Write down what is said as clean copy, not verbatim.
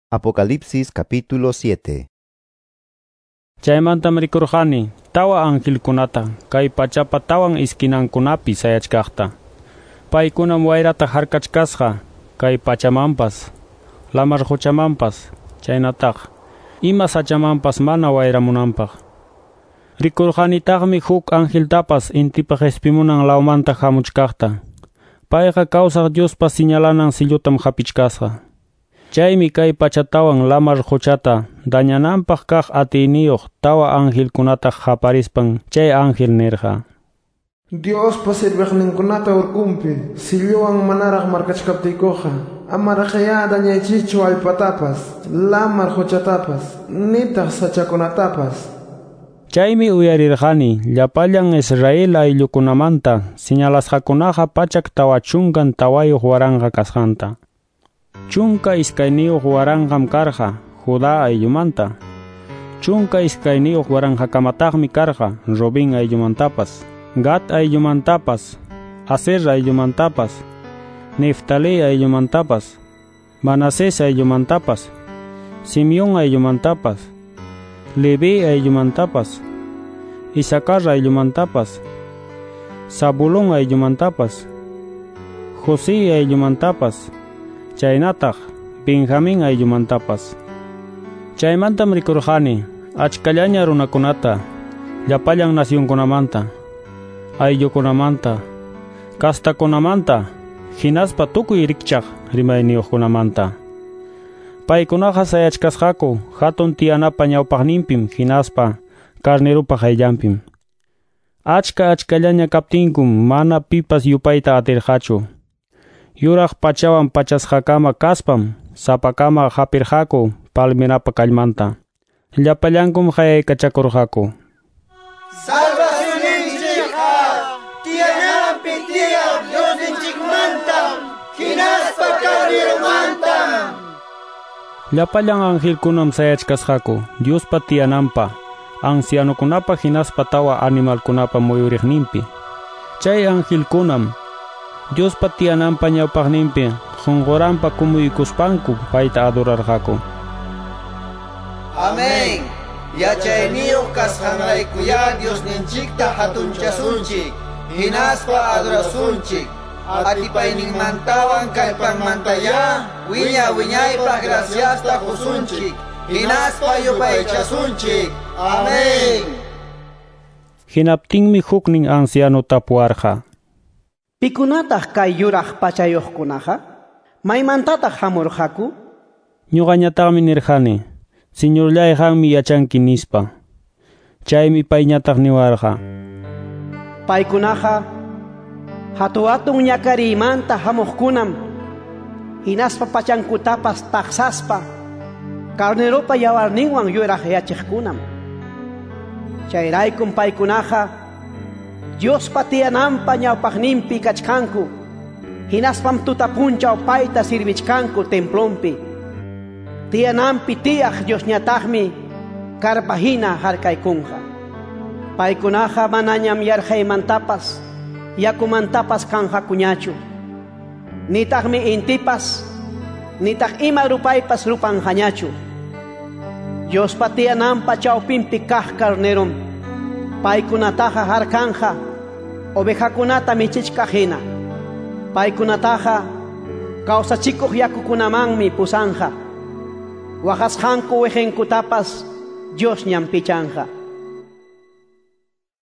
Apocalipsis capítulo 7. Chaymantam rikurqani tawa angelkunata kay pachapa tawan iskinankunapi sayachkaqta. Paykunam wayrata harkachkasqa kay pachamanpas, lamar quchamanpas, chaynataq ima sachamanpas mana wayramunanpaq. Rikurqanitaqmi huk angeltapas intipa qespimunan lawmanta hamuchkaqta. Payqa kawsaq Diospa señalanan sillutam hapichkasqa. Chaymi kay pachatawan lamar quchata dañananpaq kaq atiyniyuq tawa angelkunata qaparispan chay ángel nirqa: Diospa sirviqninkunata urkunpi silluwan manaraq markachkaptiykuqa amaraqyá dañaychikchu allpatapas, lamar quchatapas, nitaq sachakunatapas. Chaymi uyarirqani llapallan Israel ayllukunamanta señalasqakunaqa 144,000 kasqanta. 12,000 karqa Judá ayllumanta, 12,000 kamataqmi karqa Rubén ayllumantapas, Gad ayllumantapas, Aser ayllumantapas, Neftalí ayllumantapas, Manasés ayllumantapas, Simeón ayllumantapas, Leví ayllumantapas, Isacar ayllumantapas, Zabulón ayllumantapas, José ayllumantapas, chaynataq Benjamín ayllumantapas. Chaymantam rikurqani achkallaña runakunata llapallan nacionkunamanta, ayllukunamanta, kastakunamanta, hinaspa tukuy rikchaq rimayniyuqkunamanta. Paykunaqa sayachkasqaku hatun tiyanapa ñawpaqninpim hinaspa carnerupa qayllanpim. Achka achkallaña kaptinkum mana pipas yupayta atirqachu. Yuraq pachawan pachasqakama kaspam sapakama hapirqaku palmerapa kallmanta. Llapallankum qayaykachakurqaku: Salvacionninchikqa tiyananpi tiyaq Diosninchikmantam hinaspa Carneromantam. Llapallan angelkunam sayachkasqaku Diospa tiyananpa, ancianokunapa hinaspa tawa animalkunapa muyuriqninpi. Chay angelkunam Diospa tiyananpa ñawpaqninpi qunquranpa kumuykuspanku payta adorarqaku. Amén. Yachayniyuq kasqanraykuyá Diosninchikta hatunchasunchik, hinaspa adorasunchik. Atipayninmantawan kallpanmantayá wiña wiñaypaq graciasta qusunchik, hinaspa yupaychasunchik. Amén. Hinaptinmi huknin anciano tapuwarqa: Pikunataq kay yuraq pachayuqkunaqa? Maymantataq hamurqaku? Ñuqañataqmi nirqani: Señorllay, qammi yachanki, nispa. Chaymi payñataq niwarqa: Paykunaqa hatu-hatun ñakariymanta hamuqkunam, hinaspa pachankutapas taqsaspa carneropa yawarninwan yuraqyachiqkunam. Chayraykum paykunaqa Diospa tiyananpa ñawpaqninpi kachkanku, hinaspam tuta punchaw payta sirvichkanku templonpi. Tiyananpi tiyaq Diosñataqmi karpahina harkaykunqa. Paykunaqa manañam yarqaymantapas, yakumantapas kanqakuñachu. Nitaqmi intipas, nitaq ima rupaypas rupanqañachu. Diospa tiyananpa chawpinpi kaq carnerom paykunataqa harkanja ovejakunata michichkaq hina. Paykunataqa kawsachikuq yakukunamanmi pusanja. Waqasqanku wejenkutapas Diosñam pichanja.